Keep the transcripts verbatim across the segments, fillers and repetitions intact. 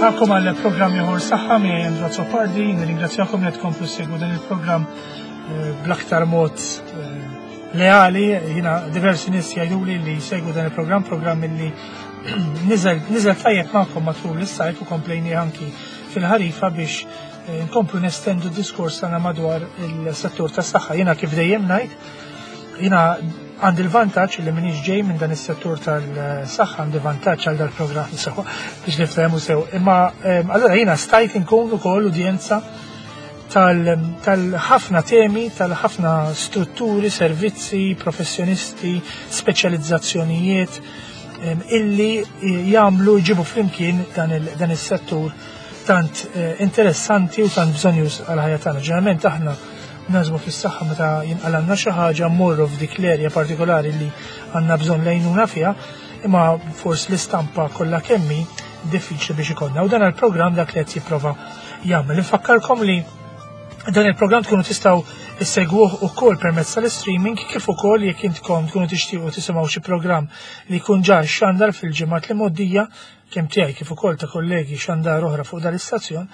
Nilqagħkom għal programm ieħor Saħħa miegħi Andrew Azzopardi, nirringrazzjakom li tkomplu ssegwu dan il-programm eh, bl-aktar mod eh, leali. Jiena diversi nies jgħiduli li jsegwu dan il-programm, programm li niżel niżel tajjeb magħkom matul is-sajf u komplejni anki fil-ħarifa biex eh, nkomplu nestendu d-diskors tagħna madwar il-settur tas-saħħa. Jiena kif dejjem ngħid, jiena għandi l-vantaġġ li m'iniex ġej minn dan is-settur tal-saħħa, għandi vantaġġ għal dal-programm sew biex niftehmu sew. Imma allura jiena stajt inkun ukoll udjenza tal-ħafna temi, tal-ħafna strutturi, servizzi, professjonisti, speċjalizzazzjonijiet illi jagħmlu jġibu flimkien dan is-settur tant eh, interessanti u tant bżonjuż għal-ħajja tagħna. Ġeneralment aħna naħsbu fis-saħħa meta jinqalgħalna xi ħaġa, mmorru f'dik l-erja partikolari li għandna bżonn lejnuna fiha, imma forsi l-istampa kollha kemm hi diffiċli biex ikollna. U dan il-programm dak li qed jipprova jagħmel. Infakkarkom li dan il-programm tkunu tistgħu issegwuh ukoll permezz tal-streaming, kif ukoll jekk intkom tkunu tixtiequ tisimgħu xi programm li jkun ġa xandar fil-ġimgħat li mgħoddija, kemm tiegħi kif ukoll ta' kollegi xandar oħra fuq dal-istazzjon,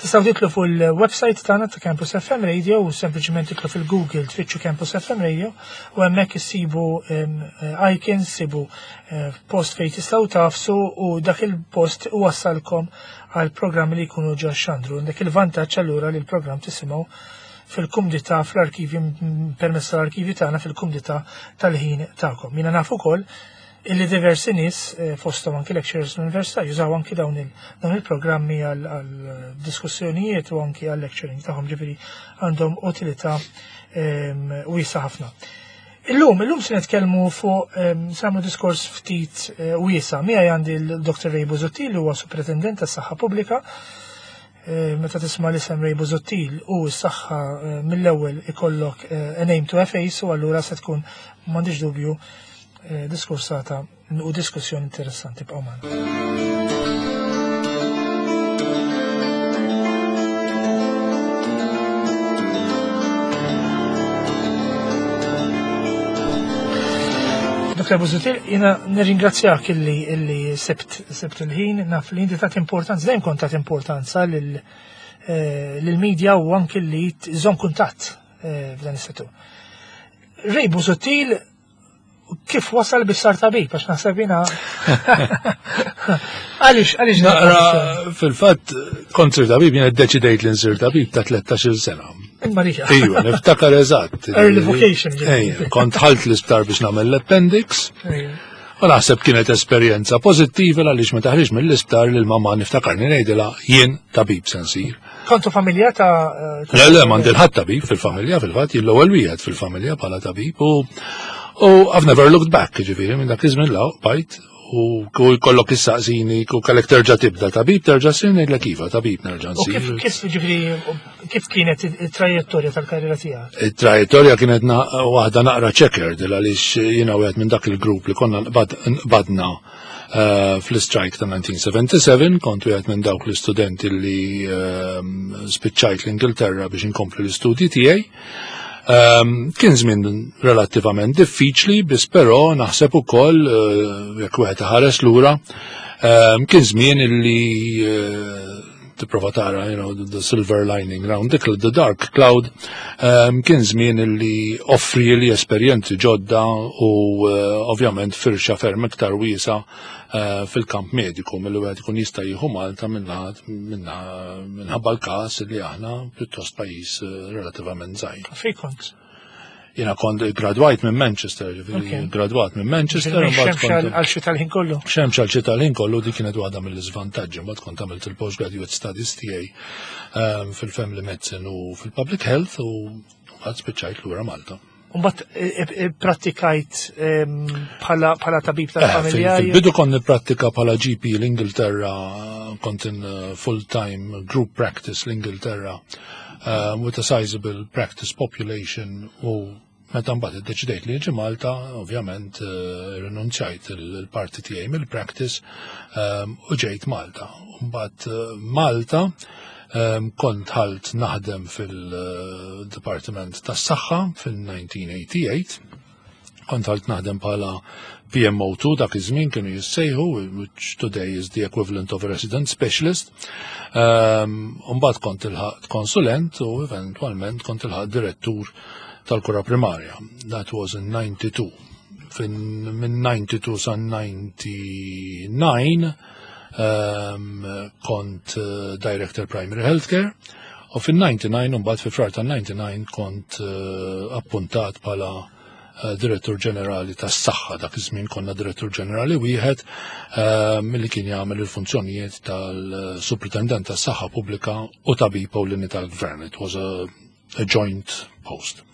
tistgħu titlu fuq il-website tagħna ta' Campus F M Radio u sempliċement titlu fil-Google tfittxu Campus F M Radio u hemmhekk issibu icons, issibu eh, post fejn tistgħu tagħfsu u dak il-post iwassalkom għal programmi li jkunu ġa xandru. Dak il-vantaġġ allura li l-programm tisimgħu fil-kumdità fl-arkivi, permezz tal-arkivi tagħna fil-kumdità tal-ħin tagħkom. Jiena naf ukoll illi diversi nies, eh, fosthom anki lecturers l-università, jużaw anki dawn il-programmi għal diskussjonijiet u anki għal lecturing tagħhom, ġifieri għandhom utilità ehm, wiesa ħafna. Illum, illum se nitkellmu fuq ehm, se nagħmlu diskors ftit eh, wiesa. Miegħi għandi l-Doktor Ray Busuttil, li huwa Superintendent tas-Saħħa Pubblika. Eh, meta tisma' l-isem Ray Busuttil u s-saħħa, mill-ewwel ikollok a name to a face u allura se tkun, m'għandix dubju, Eh, diskursata u diskussjoni interessanti. Bqgħu magħna. Doktor Busuttil, jiena nirringrazzjak illi illi sibt sibt il-ħin, naf li inti tat importanza, dejjem kont tat importanza lil eh, lil-media u anki li tżomm kuntatt eh, f'dan is-settur. Ray Busuttil kif wasal biex sar tabib, għax naħseb jiena. Għaliex, għaliex? Naqra, fil-fatt, kont sir tabib, jiena ddeċidejt li nsir tabib ta' tlettax-il sena. Imma riħa. Ejwa, niftakar eżatt. Early vocation. Ejja, kont ħalt l-isptar biex nagħmel l-appendix. U naħseb kienet esperjenza pożittiva għaliex meta ħriġt mill-isptar lil mamma niftakarni ngħidilha jien tabib se nsir. Kontu familja ta' Le, le, m'għandi ħadd tabib fil-familja, fil-fatt, jien l-ewwel wieħed fil-familja bħala tabib u u I've never looked back, ġifieri, minn dak iż-żmien 'l hawn bqajt u jkollok issaqsini u kellek terġa' tibda tabib, terġa' ssir, ngħidlek iva, tabib nerġa' U kif nsir. Kif ġifieri kif kienet it-trajettorja tal-karriera tiegħek? Il-trajettorja kienet waħda naqra checkered għaliex jiena wieħed minn dak il-grupp li konna nqbadna eh, fl-strike ta' elf disa' mija u sebgħa u sebgħin, kont wieħed minn dawk l-istudenti li ehm, spiċċajt l-Ingilterra biex inkompli l-istudji tiegħi. Um, kien żmien relattivament diffiċli, biss però naħseb ukoll uh, jekk wieħed ħares lura, um, kien żmien illi uh, tipprova tara, you know, the, the silver lining round the, the dark cloud, um, kien żmien illi offri li esperjenzi ġodda u uh, ovvjament firxa ferm iktar wiesa uh, fil-kamp mediku milli wieħed ikun jista' jieħu Malta minħabba l-każ li aħna pjuttost pajjiż uh, relattivament żgħir. Fej kont? Jiena kont gradwajt minn Manchester, ġifieri gradwat minn Manchester. Xemx għal xi tal-ħin kollu. Xemx għal xi tal-ħin kollu, dik kienet waħda mill-iżvantaġġi, mbagħad kont għamilt il-postgraduate studies tiegħi um, fil-family medicine u fil-public health u mbagħad spiċċajt lura Malta. Mbagħad prattikajt bħala bħala tabib Eh, tal-familja. Fil-bidu kont nipprattika bħala G P l-Ingilterra, kont in uh, full-time group practice l-Ingilterra um, with a sizable practice population u meta mbagħad iddeċidejt li niġi Malta, ovvjament uh, rinunzjajt il-parti tiegħi mill-practice um, u ġejt Malta. Mbagħad uh, Malta um, kont ħalt naħdem fil-Dipartiment tas-Saħħa fil-elf disa' mija u tmienja u tmenin, kont ħalt naħdem bħala P M O two dak iż-żmien kienu jissejħu, which today is the equivalent of a resident specialist. Um, Mbagħad kont ilħaqt konsulent u eventwalment kont ilħaqt direttur tal-kura primarja. That was in ninety-two. Fin minn ninety-two sa ninety-nine um, kont uh, Director Primary Healthcare u fin-ninety-nine, mbagħad fi Frar tan-ninety-nine, kont uh, appuntat bħala uh, Direttur Ġenerali tas-Saħħa. Dak iż-żmien konna Direttur Ġenerali wieħed uh, milli kien jagħmel il-funzjonijiet tal-Supritendent tas-Saħħa Pubblika u tabib ewlieni tal-Gvern. It was a, a joint post.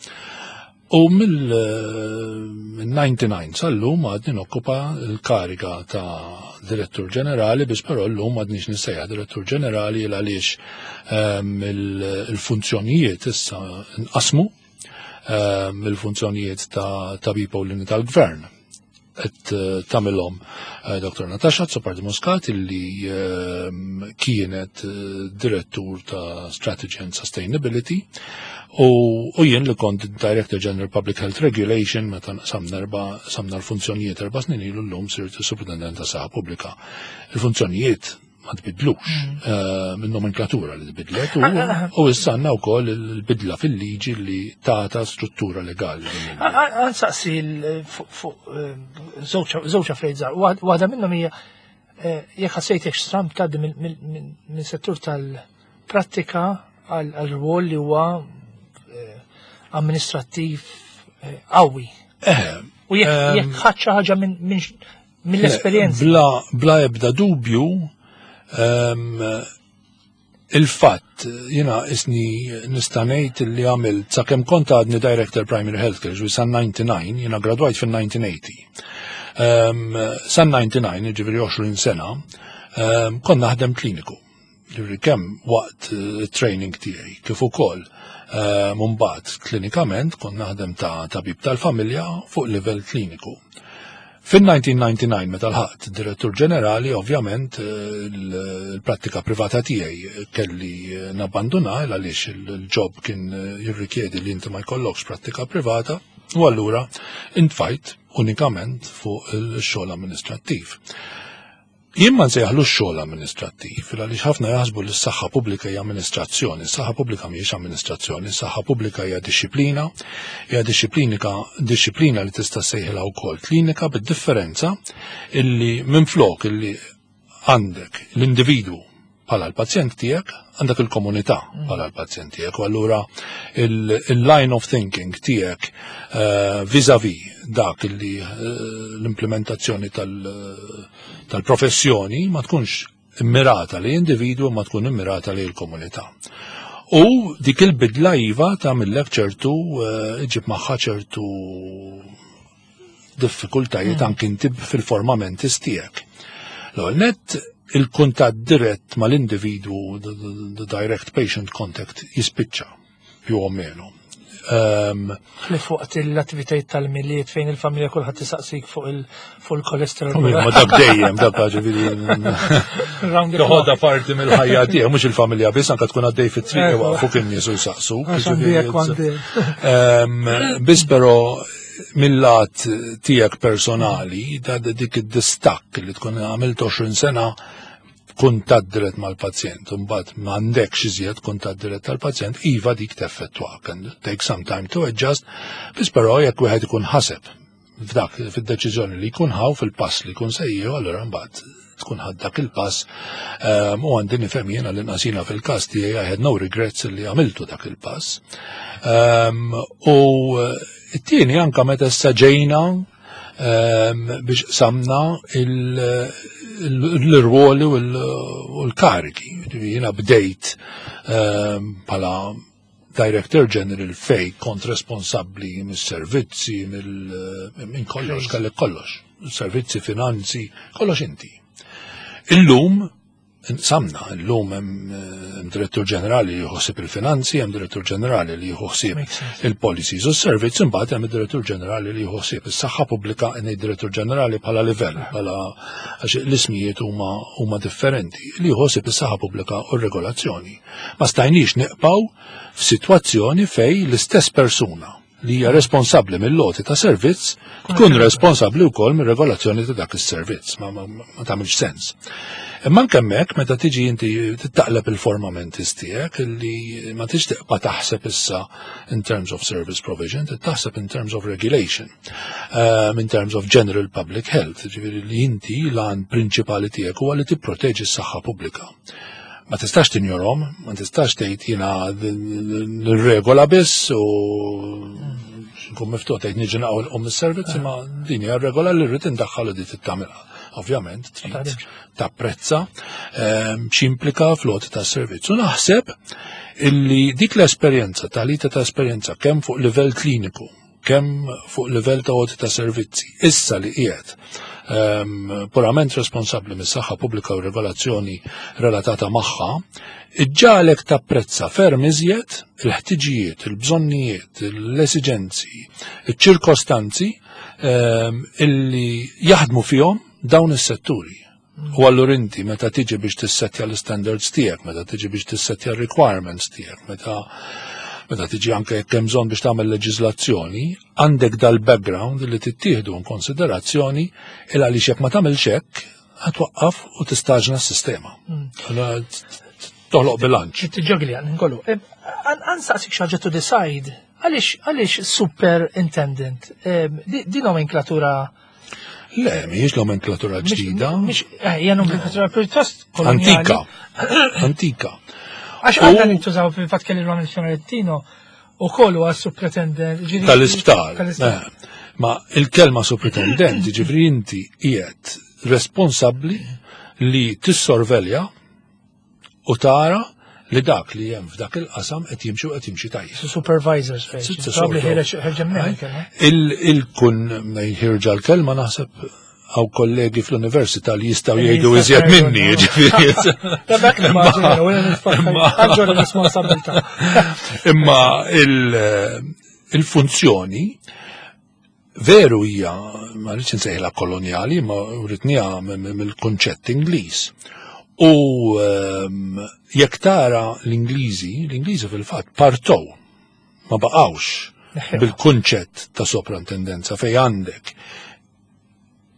U mill-ninety-nine sal-lum għadni nokkupa l-kariga ta' Direttur Ġenerali, biss però l-lum għadnix nissejjaħ Direttur Ġenerali għaliex ehm, il-funzjonijiet issa nqasmu ehm, il-funzjonijiet ta' tabib ewlieni tal-Gvern qed eh, tagħmilhom eh, Doktor Natasha Azzopardi Muscat, illi ehm, kienet eh, direttur ta' Strategy and Sustainability, u, u jien li kont Director General Public Health Regulation meta samna erba samna l-funzjonijiet erba' snin ilu, llum sirt Superintendent ta' Saħħa Pubblika. Il-funzjonijiet ma tbidlux, eh, minn nomenklatura li tbidlet u, u issa għandna wkoll il-bidla fil-liġi li tata struttura legali. Ħa nsaqsi fuq żewġ affarijiet żgħar. Waħda minnhom hija eh, jekk ħassejtek stramb tgħaddi minn settur tal-prattika għal rwol li huwa eh, amministrattiv qawwi. U jekk ħadt xi ħaġa mill-esperjenza. Bla, bla ebda dubju, um, il-fatt, jiena isni nista' ngħid li għamilt sakemm kont għadni Director Primary Healthcare, ġifieri sa ninety-nine, jiena gradwajt fin-nineteen eighty. Um, sa ninety-nine, ġifieri għoxrin sena, um, kont naħdem kliniku. Ġifieri kemm waqt uh, training tiegħi kif ukoll um, mbagħad klinikament kont naħdem ta' tabib tal-familja fuq livell kliniku. Fin-nineteen ninety-nine, meta lħaqt direttur ġenerali, ovvjament eh, il-prattika privata tiegħi kelli nabbanduna għaliex il-job kien jirrikjedi li inti ma jkollokx prattika privata, u allura intfajt unikament fuq il-xogħol amministrattiv. Jien ma nsejjaħlu xogħol amministrattiv, għaliex ħafna jaħsbu li s-saħħa pubblika hija amministrazzjoni. S-saħħa pubblika mhijiex amministrazzjoni, s-saħħa pubblika hija dixxiplina, hija dixxiplinika dixxiplina li tista' sejħilha wkoll klinika, bid-differenza illi minflok illi għandek l-individwu bħala l-pazjent tiegħek, għandek il-komunità bħala l-pazjent tiegħek. U allura il-line of thinking tiegħek uh, vis-a-vis dak illi uh, l-implementazzjoni tal-professjoni ma tkunx immirata li individwu, ma tkun immirata li l-komunità. U dik il-bidla iva tagħmillek ċertu uh, iġib magħha ċertu diffikultajiet mm. anki inti fil-formament tiegħek. L-ewwel net, il-kuntatt dirett mal-individwu, the, the, the direct patient contact, jispiċċa più o meno. Um, Li fuq l-attivitajiet tal-Milied fejn il-familja kulħadd tisaqsik fuq il-kolesterol. Ma dak dejjem, dak ġifieri. Toħodha parti mill-ħajja tiegħek, mhux il-familja biss, anke tkun għaddej fit-triq fuq in-nies u jsaqsu. Biss però mill-lat tiegħek personali, da dik id-distakk li tkun għamilt għoxrin sena kuntatt dirett mal-pazjent, mbagħad m'għandekx iżjed kuntatt dirett tal-pazjent, iva, dik teffettwak and take some time to adjust, biss però jekk wieħed ikun ħaseb f'dak fid-deċiżjoni li jkun ħa u fil-pass li jkun sejju, allura mbagħad tkun ħadt dak il-pass um, u għandi nifhem jiena li nasina fil-każ tiegħi I had no regrets li għamiltu dak il-pass. Um, u t-tieni, anka meta issa ġejna um, biex samna l-rwoli u l-karigi. Jiena bdejt bħala Director General fej kont responsabbli mis-servizzi, minn kollox, kellek kollox. Servizzi, finanzi, kollox inti. Illum, samna, illum hemm direttur ġenerali li jħossib il-finanzi, hemm direttur ġenerali li jħossib il-policies u s-servizz, imbagħad hemm direttur ġenerali li jħossib is-saħħa pubblika, ngħid direttur ġenerali bħala livell, bħala għax l-ismijiet huma huma differenti, li jħossib is-saħħa pubblika u r-regolazzjoni. Ma stajniex nibqgħu f'sitwazzjoni fej l-istess persuna li hija responsabbli mill-għoti ta' servizz tkun responsabbli wkoll mir-regolazzjoni ta' dak is-servizz. Ma, ma, ma tagħmilx sens. Imma anke hemmhekk, meta tiġi inti taqleb il-forma mentis tiegħek, li ma tix tibqa' taħseb issa in terms of service provision, taħseb in terms of regulation, um, in terms of general public health, ġifieri li inti l-għan prinċipali tiegħek huwa li tipproteġi s-saħħa pubblika. Ma tistax tinjorhom, ma tistax tgħid jiena nirregola biss u nkun miftuħ tgħid niġi naqgħu um is-servizz, imma din hija regola li rrid indaħħal u di tagħmilha. Ovvjament trid tapprezza ehm, x'implika fl-għoti tas-servizz. U naħseb illi dik l-esperjenza, talita ta' esperjenza kemm fuq livell kliniku, kemm fuq livell ta' għoti ta' servizzi, issa li qiegħed um, purament responsabbli mis-saħħa pubblika u regolazzjoni relatata magħha, iġġagħlek tapprezza ferm iżjed il-ħtiġijiet, il-bżonnijiet, l-esiġenzi, il-ċirkostanzi um, illi jaħdmu fihom dawn is-setturi. U allura inti meta tiġi biex tissettja l-standards tiegħek, meta tiġi biex tissettja l-requirements tiegħek, meta meta tiġi anke jekk hemm bżonn biex tagħmel leġiżlazzjoni, għandek dal-background li tittieħdu in konsiderazzjoni, il għaliex jekk ma tagħmilx hekk ħa twaqqaf u tistaġna s-sistema. Allura toħloq bilanċ. Tiġġogli għan nkollu. Għan saqsik xaġa to decide. Għalix, għalix superintendent? Di di nomenklatura? Le, mhijiex nomenklatura ġdida. Mhix, eh, hija nomenklatura pjuttost koloniali. Antika. Antika. Għax U- għandna nintużaw, fil-fatt kelli l-għamil u kollu għas superintendent. Ġifieri- Tal-isptar. Tal-isptar. Eh, Ma il-kelma superintendent, ġifieri inti qiegħed responsabbli li tissorvelja u tara li dak li hemm f'dak il-qasam qed jimxi u qed jimxi tajjeb. Supervisors fejn. It's a Probably sort of- ħireġ ħerġa minn kelma. Il- Il-kun ħirġa l-kelma, naħseb għaw kollegi fl-università li jistgħu jgħidu iżjed minni, ġifieri. Da dak nimmaġina, u għanġu responsabilità. Imma il- il-funzjoni veru hija, ma rridx insejħilha koloniali, ma writniha mill-kunċett Ingliż. U ehm, jekk tara l-Ingliżi, l-Ingliżi fil-fatt partow, ma baqgħux bil-kunċett ta' soprintendenza fej għandek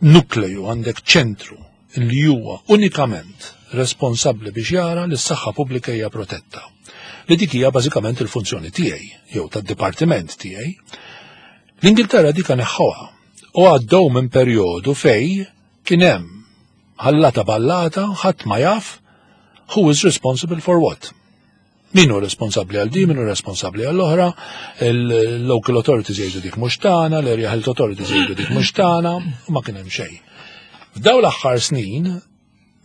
nukleju, għandek ċentru li huwa unikament responsabbli biex jara li s-saħħa pubblika hija protetta. Li dik hija bażikament il-funzjoni tiegħi jew tad-dipartiment tiegħi. L-Ingilterra dika neħħuha u għaddew minn perjodu fej kien hemm ħallata ballata, ħadd ma jaf who is responsible for what. Min hu responsabbli għal di, min hu responsabbli għall oħra, il-local authorities jgħidu dik mhux tagħna, l-area health authorities jgħidu dik mhux tagħna, u ma kien hemm xejn. F'daw l-aħħar snin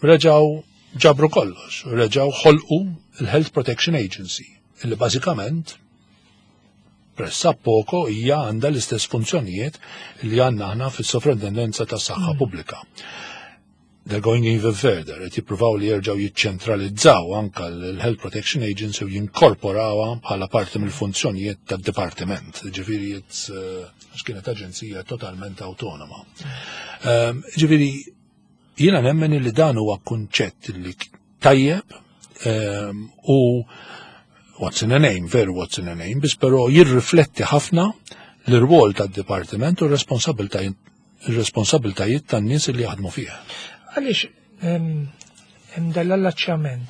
reġgħu ġabru kollox, reġgħu ħolqu il-Health Protection Agency, illi bażikament pressappoco hija għandha l-istess funzjonijiet li għandna aħna fis-sovrintendenza tas-saħħa pubblika. They're going even further, qed jippruvaw li jerġgħu jiċċentralizzaw anka l-Health Protection Agency u jinkorporawha bħala parti mill-funzjonijiet tad-dipartiment. Ġifieri it's, uh, għax kienet aġenzija totalment autonoma. Um, Ġifieri jiena nemmen li dan huwa kunċett li tajjeb um, u what's in a name, veru what's in a name, biss però jirrifletti ħafna l-rwol tad-dipartiment u r-responsabiltajiet tan-nies li jaħdmu fih. Għaliex hemm dal-allaċċjament?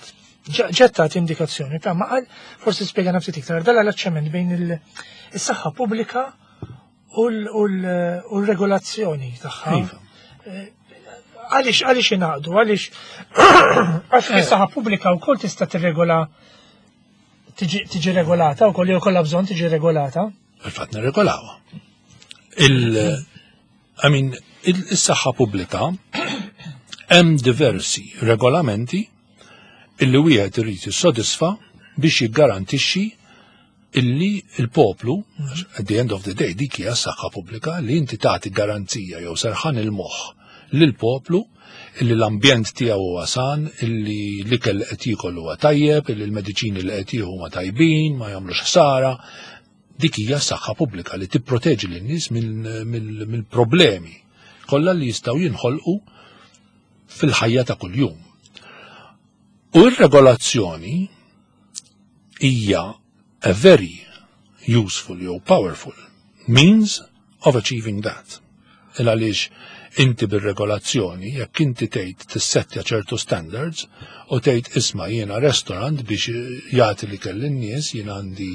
Ġetta indikazzjoni, ta' ma għal forsi spiega nafsi iktar dal-allaċċjament bejn il-saħħa pubblika u l-regolazzjoni tagħha. Iva. Għaliex għaliex ingħaqdu, għaliex għax is-saħħa pubblika wkoll tista' tirregola, tiġi tiġi regolata wkoll jew kollha bżonn tiġi regolata. Fil-fatt nirregolawha. Il I mean, il-saħħa pubblika hemm diversi regolamenti illi wieħed irid jissodisfa biex jiggarantixxi illi il-poplu, at the end of the day, dik hija s-saħħa pubblika, li inti tagħti garanzija jew serħan il-moħħ lill-poplu illi l-ambjent tiegħu huwa san, illi l-ikel li qed jiekol huwa tajjeb, illi l-mediċini li qed jieħu huma tajbin, ma jagħmlux ħsara. Dik hija s-saħħa pubblika li tipproteġi lin-nies mill-problemi kollha li jistgħu jinħolqu fil-ħajja ta' kuljum. U r-regolazzjoni hija a very useful jew powerful means of achieving that. Il għaliex inti bir-regolazzjoni, jekk inti tgħid tissettja ċertu standards u tgħid, "Isma', jiena restaurant biex jagħti li kelli n-nies, jiena għandi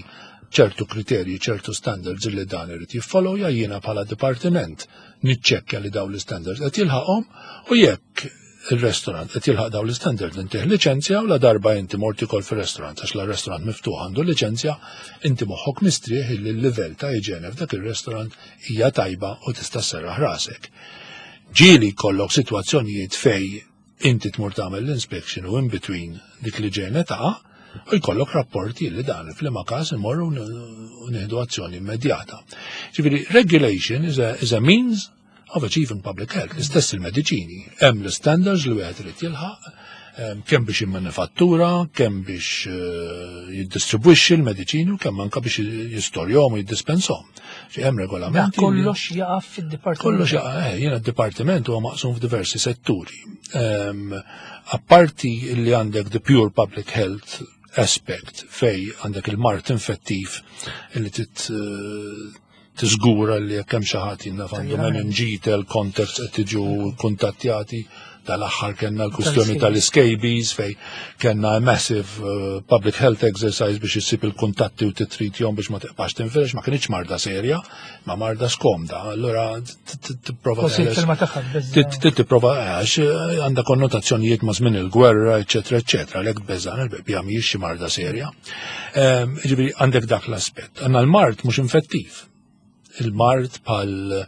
ċertu kriterji, ċertu standards li dan irid jiffollowja, jiena bħala dipartiment niċċekkja li dawn l-standards qed jilħaqhom u jekk il-restaurant qed jilħaq dawn l-standard intih liċenzja", u la darba inti mort ikol fir-restaurant, għax la restaurant miftuħ għandu liċenzja, inti moħħok mistrieħ li l-livell ta' iġene f'dak il-restaurant hija tajba u tista' sserraħ rasek. Ġieli jkollok sitwazzjonijiet fej inti tmur tagħmel l-inspection u in between dik li ġene taqa' u jkollok rapporti li dan f'liema każ imorru u nieħdu azzjoni immedjata. Ġifieri, regulation is a, is a means of achieving public health. L-istess il-mediċini. Hemm l-standards li wieħed irid jilħaq, em, kemm biex jimmanifattura, kemm biex eh, jiddistribwixxi l-mediċini u kemm anke biex jistorjhom u jiddispensahom. Ġi hemm Da regolamenti. li- kollox jaqa' fid-dipartiment. Kollox jaqa', eh, jiena d-dipartiment huwa maqsum f'diversi setturi. Um, apparti li għandek the pure public health aspect fej għandek il-mard infettiv li tit eh, tiżgura li jekk hemm xi ħadd jinnaf għandu meningital contacts qed tiġu kuntattjati. Tal-aħħar kellna l-kwistjoni tal-scabies fej kellna a massive uh, public health exercise biex issib il-kuntatti u titritjom biex ma tibqax tinfirex. Ma kienx marda serja, ma marda skomda. Allura tipprova Forsi teħles- il-kelma tagħha tbeżza. Tit- tit tipprova għax eh, għandha konnotazzjonijiet ma' żmien il-gwerra, eċetera, eċetera, għalhekk beżan il-bebja mhijiex xi marda serja. Ehm, Ġifieri għandek dak l-aspett. Għandna l-mard mhux infettiv. Il-mard bħal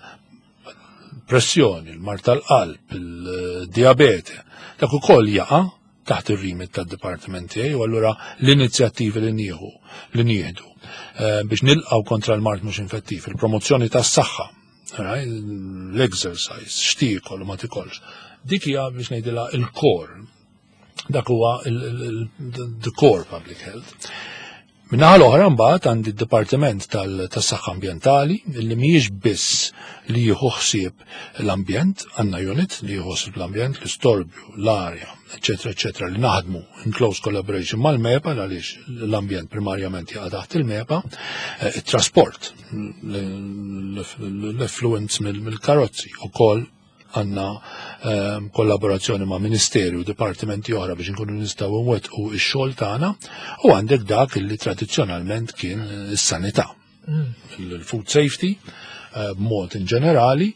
pressjoni, il-mard tal-qalb, il-diabete, dak ukoll jaqa' taħt ir-remit tad-dipartiment tiegħi u allura l-inizjattivi li nieħu li nieħdu eh, biex nilqgħu kontra l-mard mhux infettiv, il-promozzjoni tas-saħħa, right? L-exercise, x'tiekol u ma tikolx. Dik hija biex ngħidilha il-core. Dak huwa il- il- il- the core public health. Min-naħa l-oħra mbagħad għandi d-Dipartiment tal-Saħħa Ambjentali li mhijiex biss li jieħu ħsieb l-ambjent, għandna unit li jieħu ħsieb l-ambjent, l-istorbju, l-arja, eċetera, eċetera, li naħdmu in close collaboration mal-MEPA għaliex l-ambjent primarjament jaqa' taħt il-MEPA, eh, it-trasport, l-effluents mill-karozzi ukoll għandna ehm, kollaborazzjoni ma' ministeri u dipartimenti oħra biex nkunu nistgħu nwettqu x-xogħol tagħna u għandek dak li tradizzjonalment kien is-sanità. Il-food safety eh, b'mod in ġenerali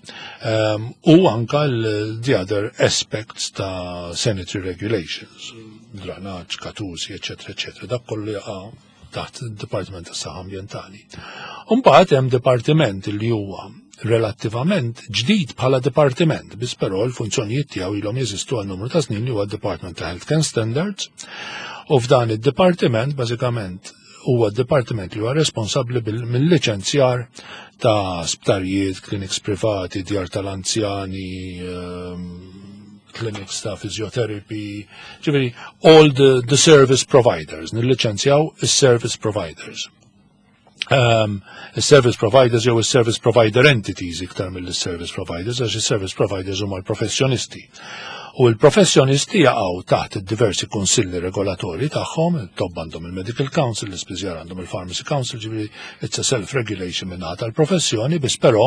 ehm, u anka l- the other aspects ta' sanitary regulations, dranaġġ, katusi, eċetera, eċetera. Dak kollu jaqa' taħt il-Dipartiment tas-Saħħa Ambjentali. Mbagħad hemm dipartiment li huwa relattivament ġdid bħala dipartiment, biss però l-funzjonijiet tiegħu ilhom jeżistu għal numru ta' snin, li huwa d-Department ta' Health Care Standards. U f'dan id-dipartiment bażikament huwa d-dipartiment li huwa responsabbli bil- mill-liċenzjar ta' sptarijiet, clinics privati, djar tal-anzjani, ehm, clinics ta' physiotherapy, ġifieri all the, the service providers, nilliċenzjaw is-service providers. Um, service providers jew is-service provider entities iktar mill-service providers, għax is-service providers huma l-professjonisti. U l-professjonisti jaqgħu taħt id-diversi kunsilli regolatori tagħhom, it-tobba għandhom il-Medical Council, l-ispiżjar għandhom il-Pharmacy Council, ġifieri it's a self-regulation minn tal-professjoni, biss però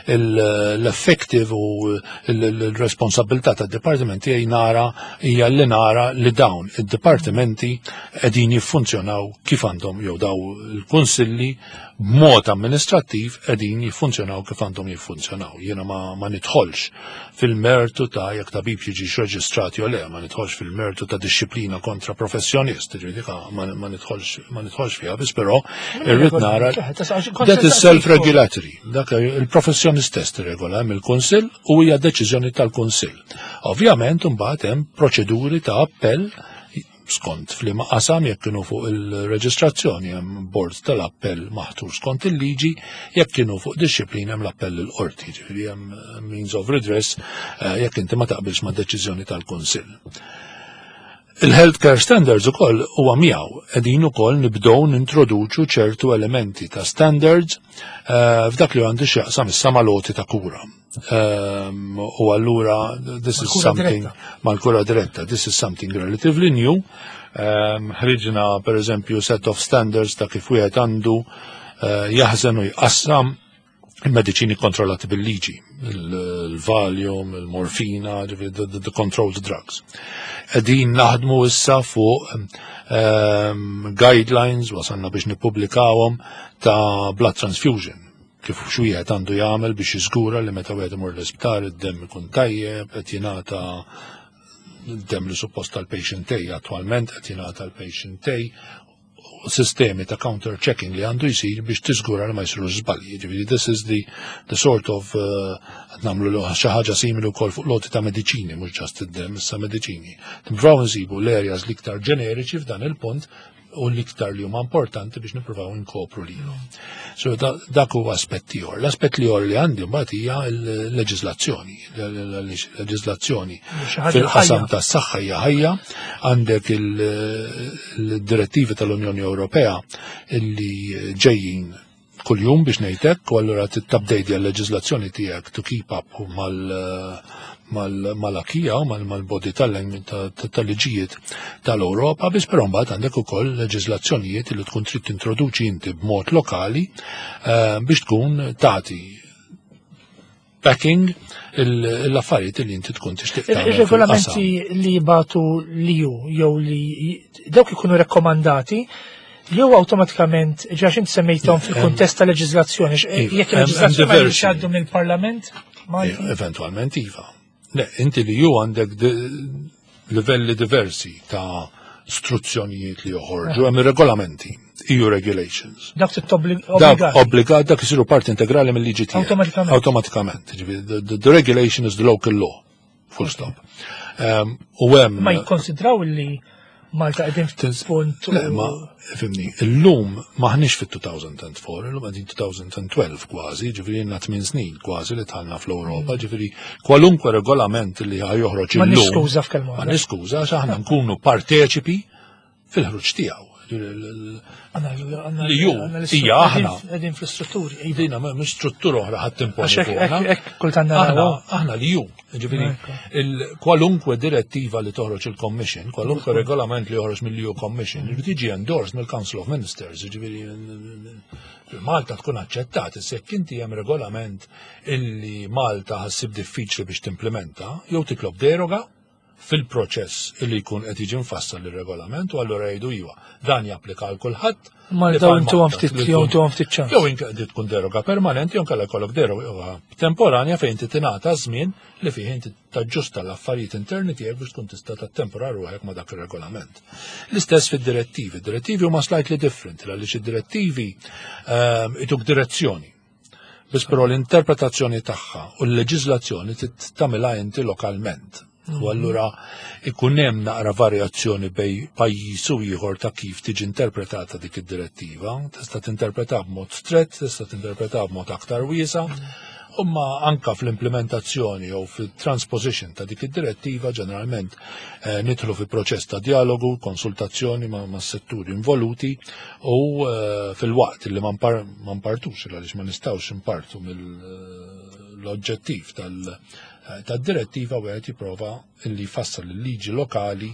l-effective u l-responsabilità tad-dipartimenti hija nara hija li nara li dawn id-dipartimenti qegħdin jiffunzjonaw kif għandhom jew daw il-kunsilli b'mod amministrattiv qegħdin jiffunzjonaw kif għandhom jiffunzjonaw. Jiena ma, ma nidħolx fil-mertu ta' jekk tabib jiġi reġistrat jew le, ma nidħolx fil-mertu ta' dixxiplina kontra professjonist, ġifieri ma, ma nidħolx ma nidħolx fiha, biss però irrid nara that is self-regulatory. Dak il-professjonist stess tirregola, hemm il-kunsill u hija deċiżjoni tal-kunsill. Ovvjament imbagħad hemm proċeduri ta' appell skont f'liema qasam, jekk kienu fuq il-reġistrazzjoni hemm bord tal-appell maħtur skont il-liġi, jekk kienu fuq dixxiplina hemm l-appell il-qorti, ġifieri hemm means of redress eh, jekk inti ma taqbilx ma' deċiżjoni tal-Kunsill. Il-healthcare standards ukoll huwa miegħu qegħdin ukoll nibdew nintroduċu ċertu elementi ta' standards eh, f'dak li għandu x'jaqsam issa mal-għoti ta' kura. Um, u allura this is something mal-kura diretta, this is something relatively new. Um, ħriġna per eżempju set of standards ta' kif wieħed għandu uh, jaħżen u jqassam Il-mediċini kontrollati bil-liġi, il-Valium, il-morfina, the controlled drugs. Qegħdin naħdmu issa fuq um, guidelines, wasalna biex nippubblikawhom, ta' blood transfusion, kif x'wieħed għandu jagħmel biex jiżgura li meta wieħed imur l-isptar id-demm ikun tajjeb, qed jingħata dem li suppost tal-patient A attualment qed jingħata l-patient A, sistemi ta' counter checking li għandu jisir biex tiżgura li ma jisiru żbalji. Ġifieri this is the, the sort of uh, qed nagħmlu xi ħaġa simili wkoll fuq loti ta' mediċini, mhux just id-dem, issa mediċini. Nippruvaw nsibu l-areas l-iktar ġeneriċi f'dan il-punt u l-iktar li huma importanti biex nippruvaw inkopru lilhom. So dak huwa aspett ieħor. L-aspett ieħor li għandi mbagħad hija l-leġiżlazzjoni. L-leġiżlazzjoni fil-qasam tas-saħħa hija ħajja. Għandek il-direttivi tal-Unjoni Ewropea illi ġejjin kuljum biex ngħidlek, u allura titupdate l-leġiżlazzjoni tiegħek to keep up mal mal-acquis u mal-body tal-liġijiet tal-Europa, biss però mbagħad għandek ukoll leġiżlazzjonijiet li tkun trid tintroduċi inti b'mod lokali eh, biex tkun tagħti backing l-affarijiet li inti tkun tixtieq. Ir-regolamenti li jibagħtu l-E U jew li dawk ikunu rekkomandati jew awtomatikament ġax inti semmejthom fil-kuntest ta' leġiżlazzjoni, jekk il-leġiżlazzjoni ma jgħaddu mill-Parlament? Eventualment iva. Le, inti li ju għandek livelli diversi ta' struzzjonijiet li joħorġu, hemm regolamenti, E U regulations. Dak Dak obbligat, dak isiru parti integrali mill-liġi tiegħek. Awtomatikament. Awtomatikament. The, the regulation is the local law. Full stop. Um, u hemm Ma jikkonsidraw li Malta qegħdin f'punt. Le, ma fhimtni, illum maħniex fit-elfejn u erbgħa, illum qegħdin elfejn u tnax kważi, ġifieri għandna tmien snin kważi li dħalna fl-Ewropa, ġifieri kwalunkwe regolament li joħroġ Ma illum. Niskuża f'kelma. Ma niskuża, għax aħna nkunu parteċipi fil-ħruġ tiegħu. Li ju, hija aħna. Qegħdin fl-istrutturi. Dina mhux struttura oħra ħadd timponi Għax hekk- fuqna. hekk- hekk kultant Aħna, naraw. aħna li ju, ġifieri, il- kwalunkwe direttiva li toħroġ il-Commission, kwalunkwe regolament li joħroġ mill-E U Commission, irid tiġi endorsed mill-Council of Ministers, ġifieri, Malta tkun aċċettat, issa jekk inti hemm regolament illi Malta ħa ssib diffiċli biex timplementa, jew titlob deroga fil-proċess illi jkun qed jiġi mfassal ir-regolament u allura jgħidu iva, dan japplika għal kulħadd. Malta li bħal intu Malta, ftit li jew tkun- intu ftit ċans. Jew inka di tkun deroga permanenti jew inkella jkollok deroga temporanja fejn inti tingħata żmien li fih inti taġġusta l-affarijiet interni tiegħek biex tkun tista' tattempora ruħek ma' dak ir-regolament. L-istess fid-direttivi. Direttivi huma slightly different għaliex id-direttivi ehm, ituk direzzjoni. Biss però l-interpretazzjoni tagħha u l-leġiżlazzjoni tagħmilha inti lokalment. U allura ikun hemm naqra varjazzjoni bejn pajjiż u ieħor ta' kif tiġi interpretata dik id-direttiva. Tista' tinterpreta b'mod strett, tista' tinterpreta b'mod aktar wiesa'. Umma anka fl-implementazzjoni jew fil-transposition ta' dik id-direttiva ġeneralment eh, nidħlu fi proċess ta' dialogu, konsultazzjoni ma', ma' setturi involuti u eh, fil-waqt li ma npar- ma npartux, għaliex ma nistgħux impartu mill-oġġettiv tal- eh, tad-direttiva, wieħed jipprova illi jfassal il-liġi lokali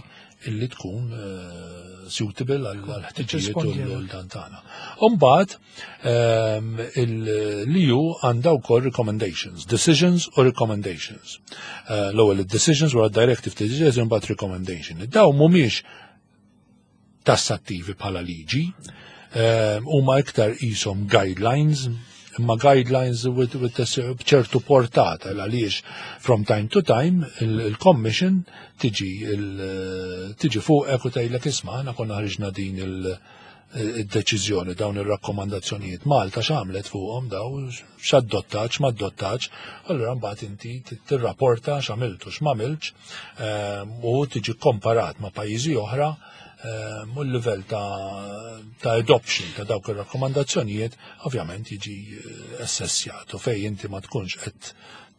illi tkun eh, suitable għal ħtiġijiet u Tirrispondi. l-dan tagħna. Umbagħad ehm, l-E U għandha wkoll recommendations, decisions u recommendations. Eh, L-ewwel id-decisions, wara directive decisions, imbagħad recommendation. Daw mhumiex tassattivi bħala liġi, ehm, huma iktar qishom guidelines, imma guidelines with, with b'ċertu portata għaliex from time to time il-Commission tiġi il- tiġi fuqek u tgħidlek, "Isma', aħna konna ħriġna din il- id-deċiżjoni, dawn ir-rakkomandazzjonijiet, Malta x'għamlet fuqhom daw, x'addottax, m'adottax?" Allura mbagħad inti tirrapporta x'għamiltu, x'm'għamiltx, ehm, u tiġi komparat ma' pajjiżi oħra ehm, u l-livell ta', ta' adoption ta' dawk ir-rakkomandazzjonijiet ovvjament jiġi eh, assessjat u fej inti ma tkunx qed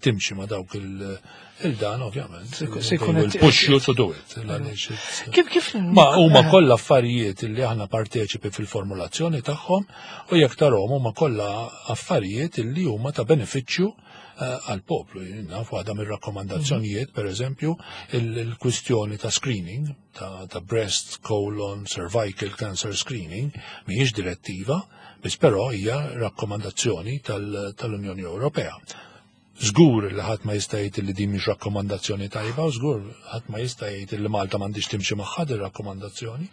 timxi ma' dawk il- il-dan ovvjament Se jkun they will qed- push you to do it. Għaliex it's- Kif kif Ma huma kollha affarijiet li aħna parteċipi fil-formulazzjoni tagħhom u jekk tarahom huma kollha affarijiet li huma ta' benefiċċju għal-poplu. Naf waħda mir-rakkomandazzjonijiet, per eżempju, il-kwistjoni ta' screening, ta' breast, colon, cervical cancer screening, mhijiex direttiva, biss però hija rakkomandazzjoni tal-Unjoni Ewropea. Żgur li ħadd ma jista' jgħid li din mhix rakkomandazzjoni tajba, u żgur ħadd ma jista' jgħid li Malta m'għandix timxi magħha din rakkomandazzjoni.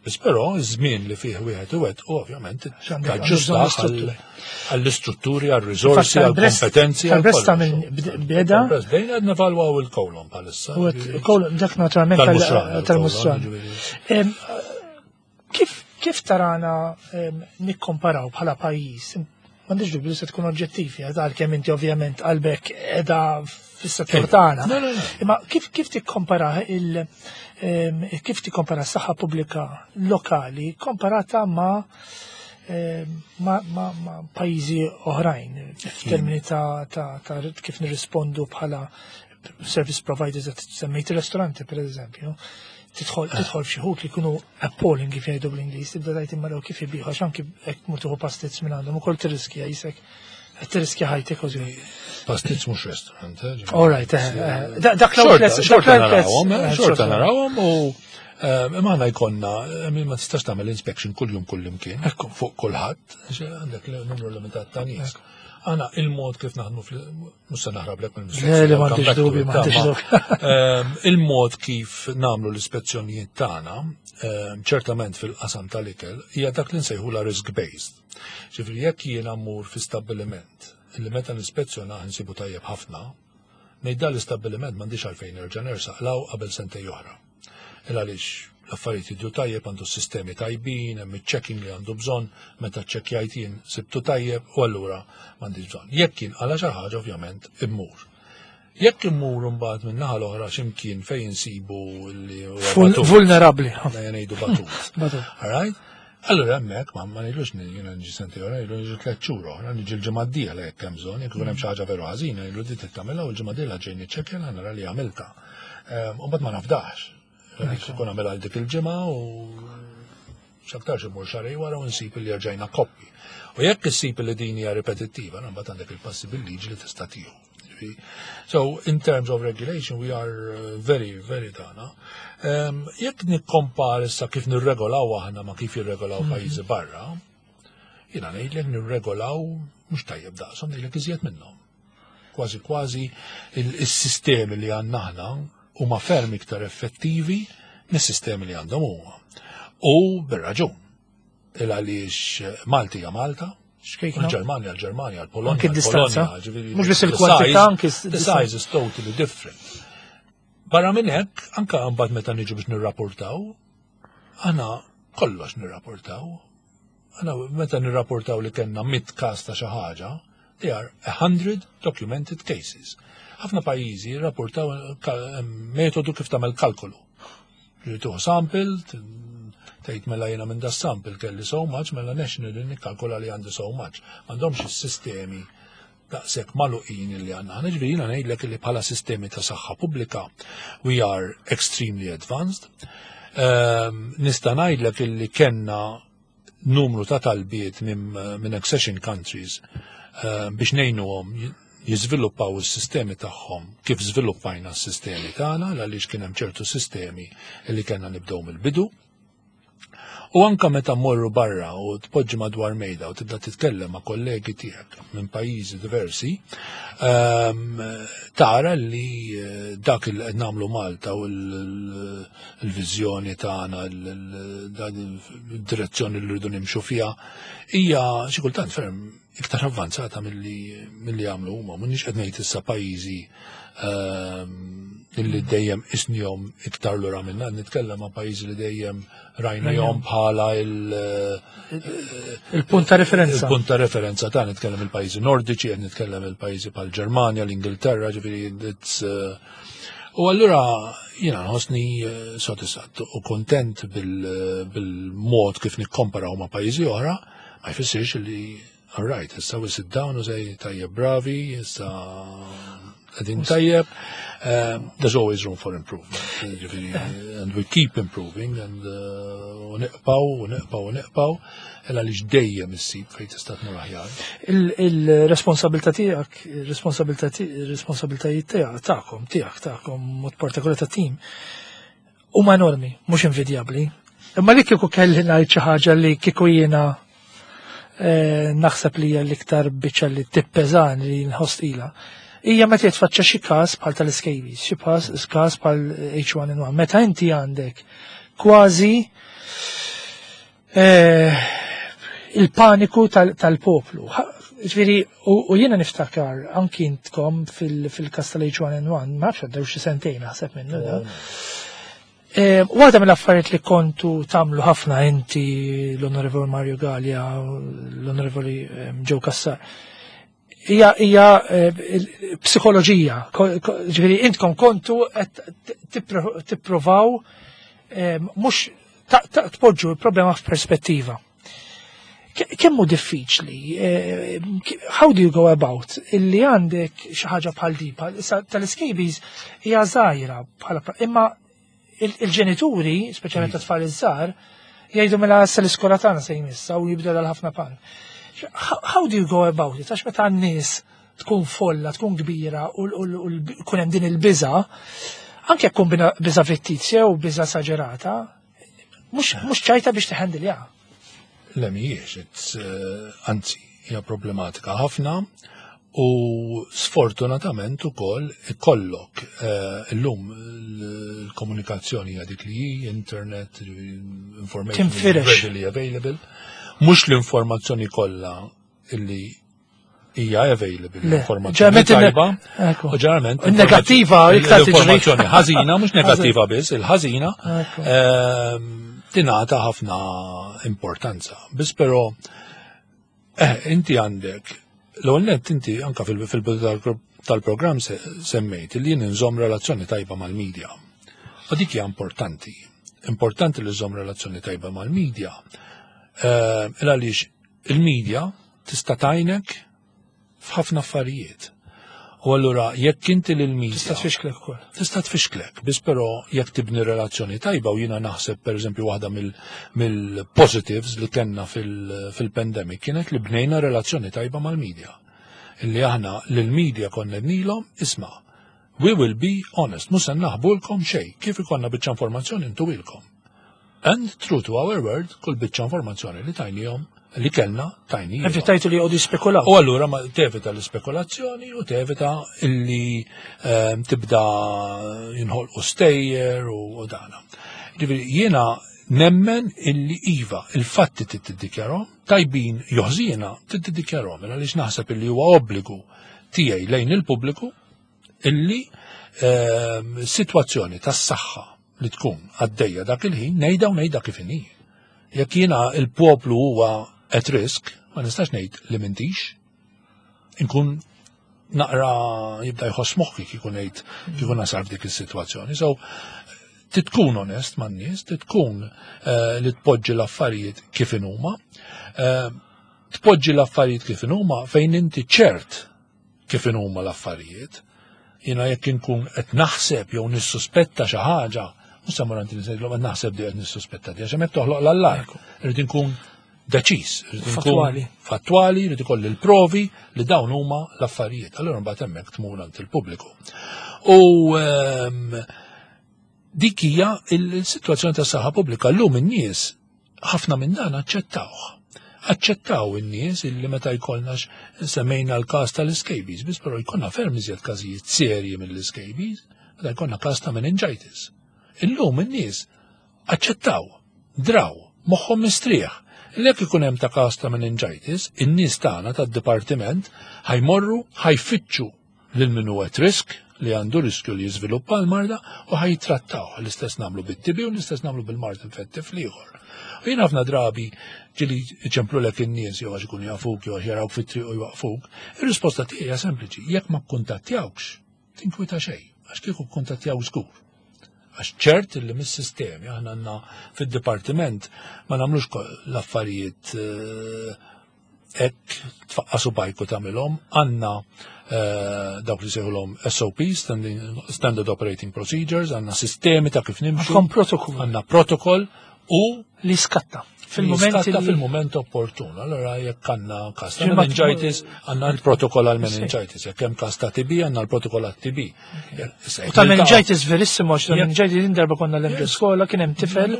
Biss però iż-żmien li fih wieħed u ovvjament taġġusta għall-istrutturi, għall-riżorsi, għall-kompetenzi. Tal-breast minn beda. Bdejna qed nevalwaw il-kolon bħalissa. Kolon, dak naturalment tal-musran. Kif kif tarana nikkomparaw bħala pajjiż? M'għandix dubju se tkun oġġettivi, għalkemm inti ovvjament qalbek qiegħda fis-settur tagħna. Imma kif kif tikkompara il kif tikkompara s-saħħa pubblika lokali komparata ma' ma' ma' pajjiżi oħrajn f'termini ta' ta' kif nirrispondu bħala service providers, semmejt il-ristoranti per eżempju, tidħol tidħol f'xi ħut li jkunu appalling, kif jgħidu bl-Ingliż, tibda tgħid imma kif jbigħu, għax anki hekk mur tieħu pastizz minn għandhom ukoll tirriskja jisek qed tirriskja ħajtek kważi. Pastizz mhux restaurant, eh? All right, eh, eh, dak l-outlets, xorta narawhom, xorta narawhom u imma aħna jkollna, ma tistax tagħmel inspection kuljum kullimkien fuq kulħadd, għandek numru limitat ta' nies. Għana il-mod kif naħdmu, mhux se naħrablek mill-mistoqsija. Le, m'għandix dubi, m'għandix dubi. Il-mod kif nagħmlu l-ispezzjonijiet tagħna, ċertament fil-qasam tal-ikel, hija dak li nsejħula risk-based. Ġifieri jekk jiena mmur fi stabbiliment li meta nispezzjona nsibu tajjeb ħafna, ngħid dan l-istabbiliment m'għandix għalfejn nerġa' nersaq law qabel sentejn oħra. Il għaliex l-affarijiet jidhru tajjeb, għandu sistemi tajbin, hemm iċ-checking li għandu bżonn, meta ċċekkjajt jien sibtu tajjeb u allura m'għandix bżonn. Jekk kien għala xi ħaġa, ovvjament immur. Jekk immur mbagħad minn naħa l-oħra x'imkien fejn insibu li vulnerabbli. Ngħidu batut. All right? Allura hemmhekk ma ma ngħidlux jiena niġi sentejn oħra, ngħidlu niġi tliet xhur oħra, niġi l-ġimgħa d-dieħla jekk hemm bżonn, jekk ikun hemm xi ħaġa veru ħażina, ngħidlu di tagħmilha u l-ġimgħa d-dieħla ġej niċċekkja, nara li għamilta. U mbagħad ma nafdax. Ikun għamel għal dik il-ġimgħa u x'aktarx imur xahrejn wara u nsib li rġajna koppi. U jekk issib li din hija ripetittiva, mbagħad għandek il-passi bil-liġi li tista' tieħu. So, in terms of regulation, we are very, very tana. Um, jekk nikkompar issa kif nirregolaw aħna ma kif jirregolaw mhm. pajjiżi barra, jiena ngħidlek nirregolaw mhux tajjeb daqshom, ngħidlek iżjed minnhom. Kważi kważi il-sistemi li għandna aħna huma ferm iktar effettivi mis-sistemi li għandhom huma. U bir-raġun. Il għaliex Malti hija Malta, il-Ġermanja, l-Ġermanja, l-Polonja, l-Polonja, mhux biss il-kwantità, anki the size is totally different. Barra minn hekk, anka mbagħad meta niġu biex nirrapportaw, aħna kollox nirrapportaw. Aħna meta nirrapportaw li kellna mitt każ ta' xi ħaġa, they are a hundred documented cases. Ħafna pajjiżi rapportaw metodu kif tagħmel kalkolu. Ġifieri sample, tgħid mela jiena minn da sample kelli so much, mela nationally nikkalkola li għandi so much. M'għandhomx is-sistemi daqshekk magħluqin li għandna. Ġifieri jiena ngħidlek li bħala sistemi ta' saħħa pubblika we are extremely advanced. Um, nista' ngħidlek illi kellna numru ta' talbiet minn min accession countries uh, biex ngħinuhom jiżviluppaw is-sistemi tagħhom kif żviluppajna s-sistemi tagħna, għaliex kien hemm ċertu sistemi li kellna nibdew mill-bidu. U anka meta mmorru barra u tpoġġi madwar mejda u tibda titkellem ma' kollegi tiegħek minn pajjiżi diversi, ehm, tara li eh, dak il qed nagħmlu Malta u l-viżjoni tagħna, il-direzzjoni li rridu nimxu fiha hija xi kultant ferm iktar avvanzata milli milli jagħmlu huma. M'iniex qed ngħid issa pajjiżi ehm, illi dejjem isnihom iktar lura minna, nitkellem ma' pajjiżi li dejjem rajnihom bħala il- il-punt ta' referenza. Il-punt ta' referenza ta' nitkellem il-pajjiżi nordiċi, qed nitkellem il-pajjiżi bħal Ġermanja, l-Ingilterra, ġifieri it's uh, U allura jiena nħossni eh, sodisfatt u kontent bil-mod kif nikkomparaw ma' pajjiżi oħra, ma jfissirx li all right, issa we sit down u say tajjeb, bravi, issa qegħdin tajjeb. Um, there's always room for improvement. Ġifieri, and we keep improving and uh, u nibqgħu, u nibqgħu, u nibqgħu, illa li dejjem issib fejn tista' tmur aħjar. Il-responsabilità tiegħek, il-responsabilità il-responsabiltajiet tiegħek tagħkom, tiegħek tagħkom mod partikolari ta' tim huma enormi, mhux invidjabbli. Imma li kieku kelli ngħid xi ħaġa li kieku jiena eh, naħseb li hija l-iktar biċċa li tippeżan li nħoss ilha. Hija meta jitfaċċa xi każ bħal tal-scabies, xi każ każ bħal H one N one. Meta inti għandek kważi eh, il-paniku tal- tal-poplu. Ha- Ġifieri, u u jiena niftakar anki intkom fil- fil-kas tal-H one N one, ma nafx għaddew xi sentejn naħseb minnu da. Eh, Waħda mill-affarijiet li kontu tagħmlu ħafna inti, l-Onorevoli Mario Gallia, l-Onorevoli eh, Joe Cassar, hija hija eh, il- psikoloġija. Ko- ko- Ġifieri intkom kontu qed tippro- tipprovaw eh, mhux ta- ta- tpoġġu l-problema f'perspettiva. Ke- Kemm hu diffiċli, eh, how do you go about illi għandek xi ħaġa bħal di, bħal- issa tal-scabies hija żgħira bħala pra- imma il- il-ġenituri, speċjalment ta' tfal iż-żgħar, jgħidu mela issa l-iskola tagħna se jmissa u jibda ħafna pan. How, how do you go about it? Għax meta n-nies tkun folla, tkun kbira u jkun hemm din il-biża, anke jekk tkun bina- biża fittizja u biża esaġerata, mhux mhux ċajta biex tiħendilja. Le mhijiex, it's, uh, anzi, hija problematika ħafna u sfortunatament ukoll ikollok uh, illum l-komunikazzjoni hija dik li hi, internet, information is Tinfirex. readily available. Mhux l-informazzjoni kollha illi hija available, Le, l-informazzjoni ġeneralment il- tajba. Ekku. U ġeneralment Il-negattiva iktar tiġri. l-informazzjoni ħażina, mhux negattiva biss, il-ħażina Ekku. ehm, tingħata ħafna importanza. Biss però eh, inti għandek l-ewwel nett inti anka fil- fil-bidu tal- tal-programm se- semmejt li jien inżomm relazzjoni tajba mal-medja. U dik hija importanti. Importanti li żomm relazzjoni tajba mal-medja. Eh, Għaliex il-medja tista' tgħinek f'ħafna affarijiet. U allura jekk inti lil-medja Tista' tfixklek ukoll. Tista' tfixklek, biss però jekk tibni relazzjoni tajba, u jiena naħseb, pereżempju, waħda mill-positives li kellna fil-pandemic kienet li bnejna relazzjoni tajba mal-medja. Illi aħna lill-medja konna ngħidulhom, "Isma', we will be honest, mhux se naħbulkom xejn, kif ikollna biċċa informazzjoni ntuhielkom." And true to our word, kull biċċa informazzjoni li tajnihom, li kellna, tajnihom. Evitajtu li jqogħdu jispekulaw. U allura ma tevita l-spekulazzjoni u tevita illi ehm, tibda jinħolqu stejjer u u dana. Ġifieri jiena nemmen illi iva, il-fatti tiddikjarahom, tajbin jew ħżiena tiddikjarahom, għaliex naħseb illi huwa obbligu tiegħi lejn il-pubbliku illi ehm, sitwazzjoni tas-saħħa li tkun għaddejja dak il-ħin ngħidha u ngħidha kif inhi. Jekk jiena il-poplu huwa at risk, ma nistax ngħid li m'intix. Inkun naqra jibda jħoss moħħi kieku ngħid kieku nasal f'dik is-sitwazzjoni. So titkun onest man-nies, titkun eh, li tpoġġi l-affarijiet kif inhuma, eh, tpoġġi l-affarijiet kif inhuma fejn inti ċert kif inhuma l-affarijiet. Jiena jekk inkun qed naħseb jew nissuspetta xi ħaġa, mhux se mmur għand ngħidilhom qed naħseb di, qed nissuspetta di, għax hemmhekk toħloq l-allarm. Irid inkun deċiż, irid inkun Fattwali. Fattwali, irid ikolli l-provi li dawn huma l-affarijiet. Allura mbagħad hemmhekk tmur għand il-pubbliku. U ehm, dik hija il-sitwazzjoni tas saħħa pubblika. Llum in-nies ħafna minn dan aċċettawh. Aċċettaw in-nies illi meta jkollna, semmejna l-każ tal-scabies, biss però jkollna ferm iżjed każijiet serji mill-scabies, meta jkollna każ ta' meningitis. Illum in-nies aċċettaw, draw, moħħhom mistrieħ. Jekk ikun hemm ta' każ ta' meningitis, in-nies tagħna tad-dipartiment ħa jmorru, ħa jfittxu lil min hu at risk, li għandu riskju li jiżviluppa l-marda, u ħa jitrattaw. L-istess nagħmlu bit-T B u l-istess nagħmlu bil-mard infettiv l-ieħor. U jien ħafna drabi ġieli iċemplulek in-nies jew għax ikunu jafuk jew għax jarawk fit-triq u jwaqfuk. Ir-risposta tiegħi hija sempliċi: jekk ma kkuntattjawkx, tinkwita xejn, għax kieku kkuntattjaw żgur. Għax ċert li mis-sistemi aħna għandna fid-dipartiment ma nagħmlux l-affarijiet eh, Hekk tfaqqa' subgħajk u tagħmilhom, għandna eh, dawk li sejħulhom S O P, Standard Operating Procedures, għandna sistemi ta' kif nimxu. Għandkom protokoll. Għandna protokoll u li skatta fil-moment li fil-moment opportun. Allora jekk għandna kas ta' meningitis, għandna l-protokoll għal meningitis. Jekk hemm kas ta' T B, għandna l-protokoll għal T B. U ta' meningitis verissimo, għax ta' meningitis din darba konna l skola, kien hemm tifel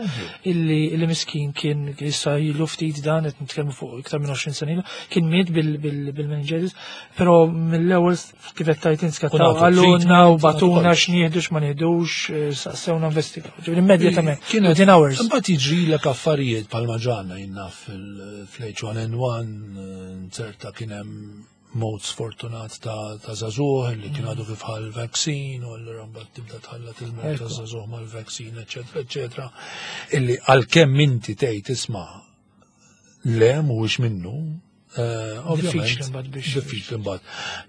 illi illi miskin kien issa ilu ftit dan, qed nitkellmu fuq iktar minn għoxrin sena ilu, kien miet bil-meningitis, però mill-ewwel kif qed tajt inskattaw għaluna u bagħtuna x'nieħdu, x'ma nieħdux, eh, saqsewna, investigaw. Ġifieri immedjatament, within hours. Imbagħad jiġrilek affarijiet bħalma ġralna jiena fil-H one N one, ċerta kien hemm mod sfortunat ta' ta' żagħżugħ li kien għadu kif ħa l-vaccine u allura mbagħad tibda tħallat il-mod ta' żagħżugħ mal-vaccine, eċetera, eċetera. Illi għalkemm inti tgħid, "Isma', le, mhuwiex minnu," eh, ovvjament diffiċli mbagħad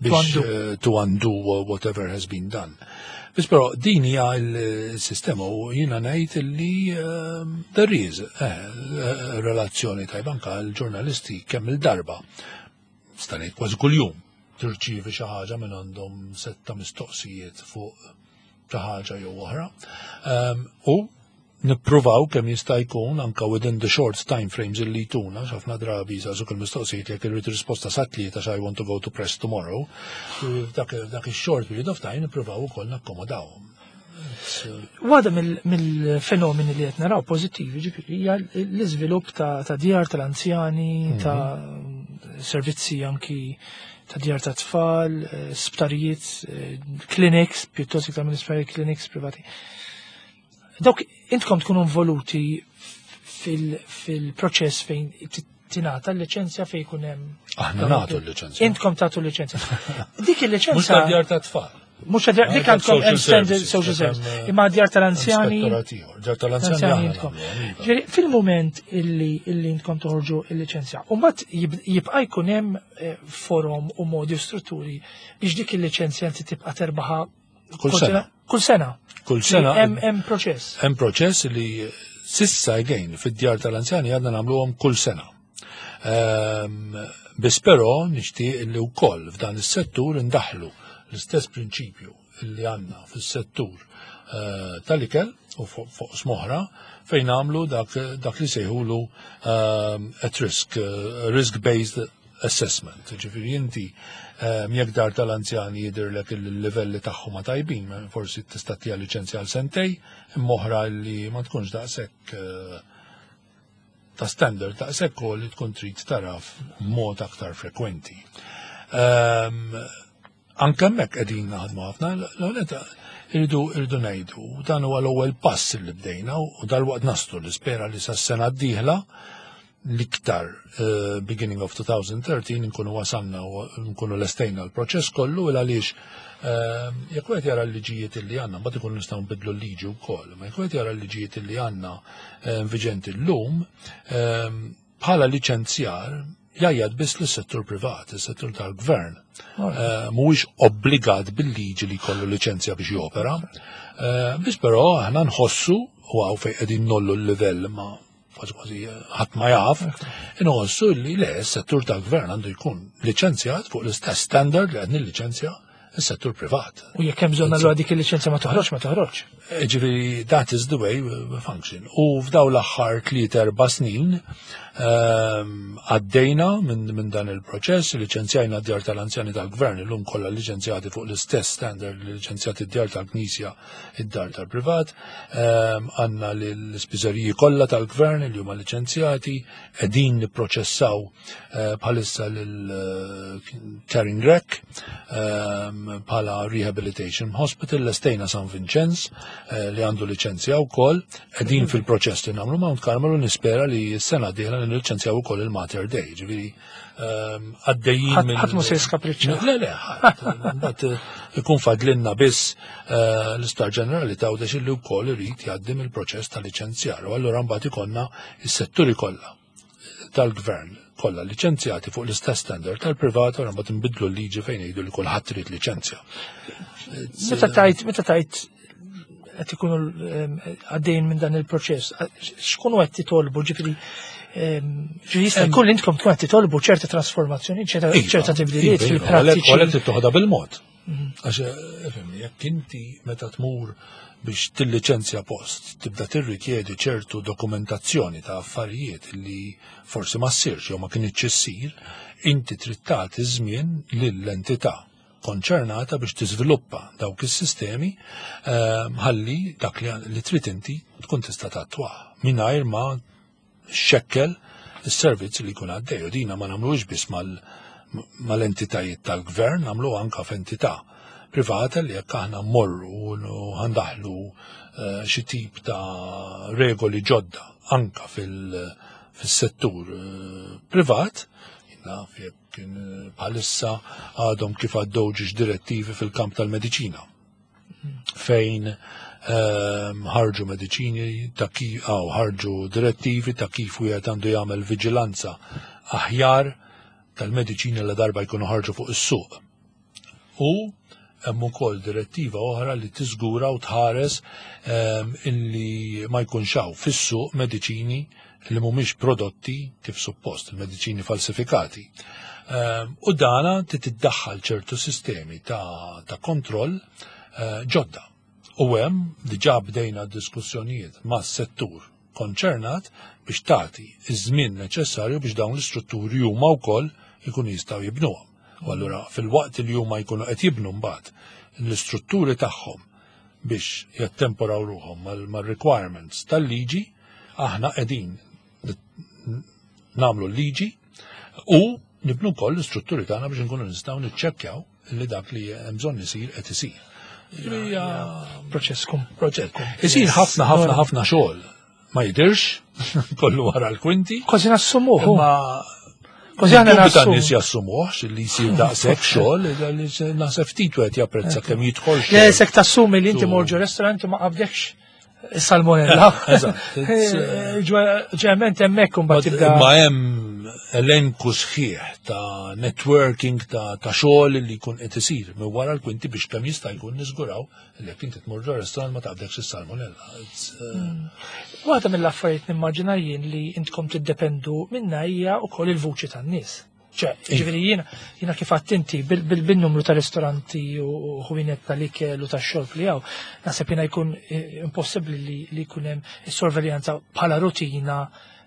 biex eh, to undo whatever has been done. Bis però din hija l-sistema u jiena ngħid li ehm, there is eh, relazzjoni tajba anka l-ġurnalisti. Kemm il-darba, nista' ngħid kważi kuljum, tirċievi xi ħaġa minn għandhom, setta mistoqsijiet fuq xi ħaġa jew oħra. Ehm, u nippruvaw kemm jista' jkun anka within the short time frames illi jtuna. Ħafna drabi jsaqsuk il-mistoqsijiet jekk irrid risposta sa tlieta, I want to go to press tomorrow. Dak ix-short period of time nippruvaw ukoll nakkomodaw. Waħda mill-fenomeni li qed naraw pożittivi ġifieri hija l-iżvilupp ta' djar tal-anzjani, mhm. ta' servizzi anki ta' djar ta' tfal, eh, sptarijiet, eh, clinics, pjuttost iktar minn isptarijiet, clinics privati. Dawk intkom tkunu involuti fil-proċess fejn tingħata l-liċenzja, fejn jkun hemm? Aħna nagħtu l-liċenzja. Intkom tagħtu l-liċenzja. Dik il-liċenzja. Mhux ta' djar ta' tfal. Mhux dik, għandkom extended social service. Imma djar tal-anzjani. Djar tal-anzjani. Intkom. Fil-moment illi illi intkom toħorġu il-liċenzja, u mbagħad jibqa' jkun hemm eh, forum u modi u strutturi biex dik il-liċenzja inti tibqa' terbaħa? Kull sena. Kull sena. Kull sena. Hemm proċess. Hemm proċess li sissa, again, fid-djar tal-anzjani għadna nagħmluhom kull sena. Ehm, biss però nixtieq li wkoll f'dan is-settur indaħlu l-istess prinċipju li għandna fis-settur eh, tal-ikel u fuq oqsma oħra fejn għamlu dak, dak li sejħulu um, at risk, uh, risk-based assessment. Ġifieri inti um, jekk dar tal-anzjani jidirlek il-livelli tagħhom ma tajbin, forsi tista' ttiha liċenzja għal sentejn, imma oħra li ma tkunx daqshekk uh, ta' standard daqshekk li tkun trid taraf mod aktar frekwenti. Um, anke hemmhekk qegħdin naħdmu ħafna, l-għonet irridu irridu ngħidu, dan huwa l-ewwel pass li bdejna u dalwaqt naslu, nispera li sas-sena d-dieħla, l-iktar uh, beginning of twenty thirteen, nkunu wasalna u nkunu lestejna l-proċess kollu, il għaliex uh, jekk wieħed jara l-liġijiet li għandna, mbagħad ikunu nistgħu nbidlu l-liġi wkoll, ma jekk wieħed jara l-liġijiet li għandna uh, viġenti llum, bħala liċenzjar jgħid biss lis-settur privat, is-settur tal-gvern mhuwiex obbligat bil-liġi li jkollu liċenzja biex jopera. Biss però aħna nħossu, u hawn fejn qegħdin ngħollu l-livell ma kważi kważi ħadd ma jaf, inħossu li le, s-settur tal-gvern għandu jkun liċenzjat fuq l-istess standard li qed nilliċenzja is-settur privat. U jekk hemm bżonn allura dik il-liċenzja ma toħroġ, ma toħroġ. Ġifieri that is the way we function. U f'daw l-aħħar tliet erba' snin ehm, għaddejna minn min dan il-proċess, liċenzjajna d-djar tal-anzjani tal-gvern, illum kollha liċenzjati fuq l-istess standard li liċenzjati d-djar tal-Knisja, id-dar tal-privat, ehm, għandna l-ispiżeriji kollha tal-gvern li huma liċenzjati, qegħdin nipproċessaw eh, bħalissa lil Caring Rec ehm, bħala Rehabilitation Hospital, lestejna San Vincenz eh, li għandu liċenzja wkoll, qegħdin fil-proċess li nagħmlu Mount Carmel u nispera li s-sena d-dieħla nilliċenzjaw ukoll il-Mater Dei, ġifieri ehm, għaddejjin minn. Ħadd mhu se jiskapriċċa. Le, le, ħadd. Mbagħad eh, ikun fadlinna biss eh, l-Isptar Ġenerali ta' Għawdex li wkoll irid jgħaddi mill-proċess ta' liċenzjar. U allura mbagħad ikollna is-setturi kollha tal-gvern kollha liċenzjati fuq l-istess standard tal-privat, u mbagħad nbidlu l-liġi fejn jgħidu li kulħadd irid liċenzja. Meta tajt, meta tajt qed ikunu għaddejn minn dan il-proċess, x'kunu qed titolbu, ġifieri ġifieri jista' jkun li intkom tkun qed titolbu ċerta trasformazzjoni, ċerta Iva, ċerta tibdiliet iva, iva, fil-prattiċi. Għalhekk trid bil-mod. Għax, ifhimni, jekk inti meta tmur biex tilliċenzja post, tibda tirrikjedi ċertu dokumentazzjoni ta' affarijiet li forsi ma ssirx jew ma kinitx issir, inti trid tagħti żmien lill-entità konċernata biex tiżviluppa dawk is-sistemi ehm, ħalli dak li li trid inti tkun tista' tattwah mingħajr ma xekkel is-servizz li jkun għaddej. U dina ma nagħmluhiex biss mal- mal-entitajiet tal-gvern, nagħmlu anka f'entità privata li jekk aħna mmorru u ħa ndaħħlu eh, xi tip ta' regoli ġodda anka fil- fis-settur eh, privat, naf jekk kien, eh, bħalissa għadhom kif għaddew ġiex direttivi fil-kamp tal-mediċina fejn ehm, ħarġu mediċini ta' kif aw ħarġu direttivi ta' kif wieħed għandu jagħmel viġilanza aħjar tal-mediċini la darba jkunu ħarġu fuq is-suq. U hemm ukoll direttiva oħra li tiżgura u tħares ehm, illi ma jkunx hawn fis-suq mediċini li mhumiex prodotti kif suppost, il-mediċini falsifikati. Ehm, U dana titiddaħħal ċertu sistemi ta', ta' kontroll eh, ġodda. U hemm diġà bdejna diskussjonijiet mas-settur konċernat biex tagħti iż-żmien neċessarju biex dawn l-istrutturi huma wkoll ikunu jistgħu jibnuhom. U allura fil-waqt li huma jkunu qed jibnu mbagħad l-istrutturi tagħhom biex jattemporaw ruħhom mal-requirements tal-liġi, aħna qegħdin nagħmlu l-liġi u nibnu wkoll l-istrutturi tagħna biex nkunu nistgħu niċċekkjaw li dak li hemm bżonn isir qed isir. Hija Proċess kum. proċess. Isir ħafna ħafna ħafna xogħol. Ma jidirx, kollu wara l-kwinti. Kważi nassumuh. Imma Kważi aħna dubju nassumu. tan-nies jassumuhx li jsir daqshekk xogħol, li naħseb ftit wieħed japprezza kemm jidħol Le, xogħol. sek tassumi li inti Tu- mor ġo restaurant u ma qabdekx salmonella. Eżatt, it's, uh, Ġeneralment hemmhekk imbagħad tibda. Ma hemm elenku sħiħ ta' networking ta' ta' xogħol li jkun qed isir minn wara l-kwinti biex kemm jista' jkun niżguraw li jekk inti tmur ġo restaurant ma taqbdekx is-salmonella. It's, uh, Waħda mill-affarijiet nimmaġina jien li intkom tiddependu minna hija wkoll il-vuċi tan-nies. Ċe, ġifieri jiena jiena kif għedt inti bil-numru ta' ristoranti u ħwienet tal-ikel u tax-xorb li hawn, naħseb jiena jkun eh, impossibbli li li jkun hemm is-sorveljanza bħala rutina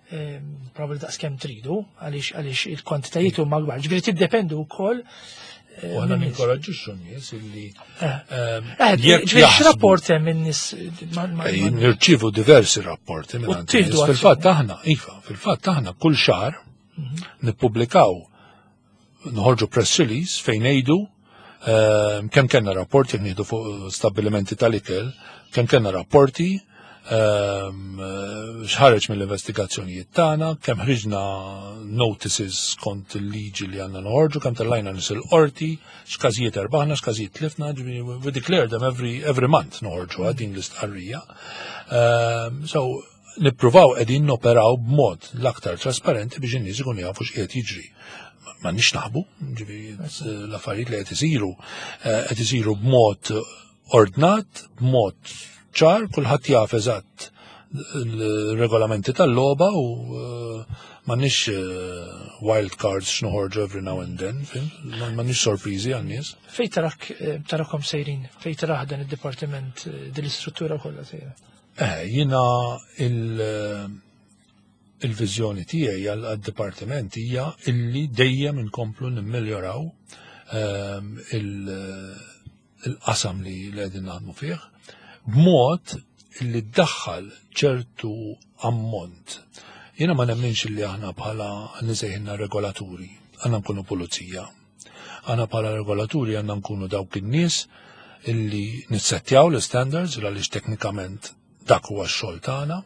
eh, probabbli daqs kemm tridu għaliex għaliex il-kwantitajiet huma kbar. Ġifieri tiddependu wkoll eh, U aħna min-nies. ninkoraġġixxu n-nies illi Eh. ehm, Eh, jekk ġifieri jaħsbu- x'rapport hemm min-nies ma- ma- Eh, ma- Nirċivu diversi rapporti minn U għand tieħdu nies. Fil-fatt aħna, iva, fil-fatt aħna kull xahar nippubblikaw noħorġu press release fejn ngħidu ehm, kemm kellna rapporti jekk nieħdu fuq stabbilimenti tal-ikel, kemm kellna rapporti ehm, eh, x'ħareġ mill-investigazzjonijiet tagħna, kemm ħriġna notices kont il-liġi li għandna noħorġu, kemm tellajna nies il-qorti, x'każijiet erbaħna, x'każijiet tlifna, ġifieri we declare them every, every month noħorġu din l-istqarrija. Ehm, so, nippruvaw qegħdin noperaw b'mod l-aktar trasparenti biex in-nies ikunu jafu x'qiegħed jiġri. Ma nix naħbu, ġifieri l-affarijiet li qed isiru eh, qed isiru b'mod ordnat, b'mod ċar, kulħadd jaf eżatt il-regolamenti tal-logħba u eh, m'għandniex eh, wild cards x'noħorġu every now and then, fim? M'għandniex sorpriżi għan-nies. Fej tarak eh, tarakom sejrin, fej tarah dan id-dipartiment, eh, din l-istruttura kollha sejra. Eh, jina il- il-viżjoni tiegħi għal-dipartiment hija illi dejjem inkomplu nimmeljoraw ehm, il- il-qasam li li qegħdin naħdmu fih b'mod illi ddaħħal ċertu ammont. Jiena ma nemminx illi aħna bħala nisejħinna regolaturi, għandna nkunu pulizija. Aħna bħala regolaturi għandna nkunu dawk in-nies illi nissettjaw l-standards għaliex teknikament dak huwa x-xogħol tagħna,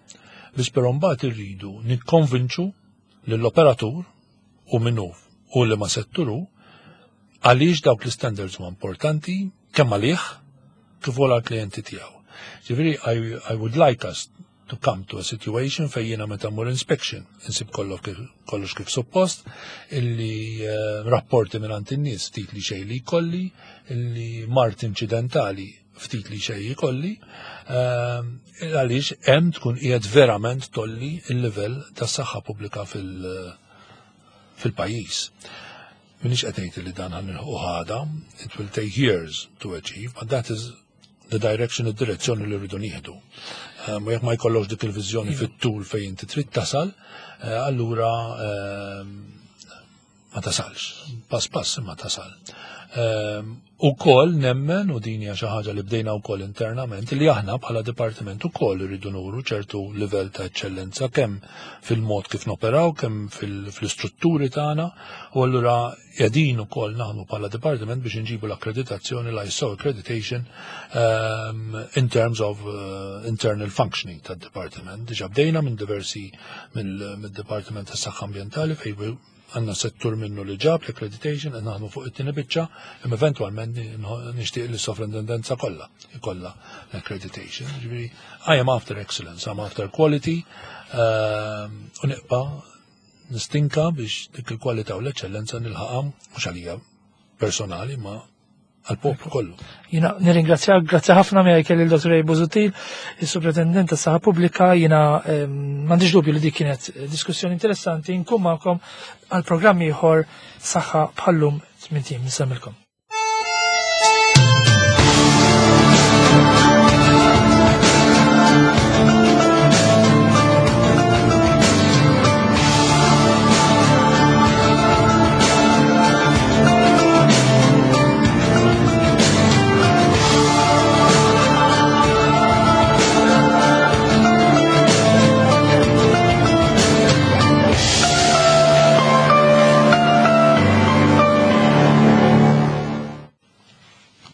biss però mbagħad irridu nikkonvinċu lill-operatur u minnu u li ma setturu għaliex dawk l-standards huma importanti kemm għalih kif ukoll għall-klijenti tiegħu. Ġifieri I, I would like us to come to a situation fejn jiena meta mmur inspection insib kollox kif, kollox kif suppost, illi uh, rapporti minn in-nies ftit li xejn li jkolli, illi mard inċidentali Ftit li xej ikolli, ehm, għaliex hemm tkun qiegħed verament tgħolli il-livell tas-saħħa pubblika fil- fil-pajjiż. Minix qed ngħid li dan ħa nilħqu għada, it will take years to achieve, but that is the direction, id-direzzjoni li rridu nieħdu. Um, U jekk ma jkollokx dik il-viżjoni fit-tul fejn inti trid tasal, eh, allura ehm, ma tasalx. Pass pass ma tasal. Um, Ukoll nemmen, u din hija xi ħaġa li bdejna wkoll internament, li aħna bħala dipartiment ukoll irridu nuru ċertu livell ta' eċċellenza kemm fil-mod kif noperaw, kemm fil-istrutturi tagħna, u allura qegħdin ukoll naħdmu bħala dipartiment biex inġibu l-akkreditazzjoni, l-I S O accreditation um, in terms of uh, internal functioning tad-dipartiment. Diġà bdejna minn diversi mill-Dipartiment tas-Saħħa Ambjentali, fejn għandna settur minnu li ġab l-accreditation, qed naħdmu fuq it-tieni biċċa, imma eventwalment nixtieq li s-sovrintendenza kollha ikollha l-accreditation. Ġifieri, I am after excellence, I'm after quality, um, u nibqa' nistinka biex dik il-kwalità u l-eċċellenza nilħaqha mhux għalija personali ma għal-poplu kollu. Jiena nirringrazzjak, grazzi ħafna. Miegħi kelli l-Dottor Ray Busuttil, il-Soprintendent tas-Saħħa Pubblika. Jiena m'għandix dubju li dik kienet diskussjoni interessanti. Nkun magħkom għal programm ieħor Saħħa bħal-lum tmint ijiem. Nsellmilkom.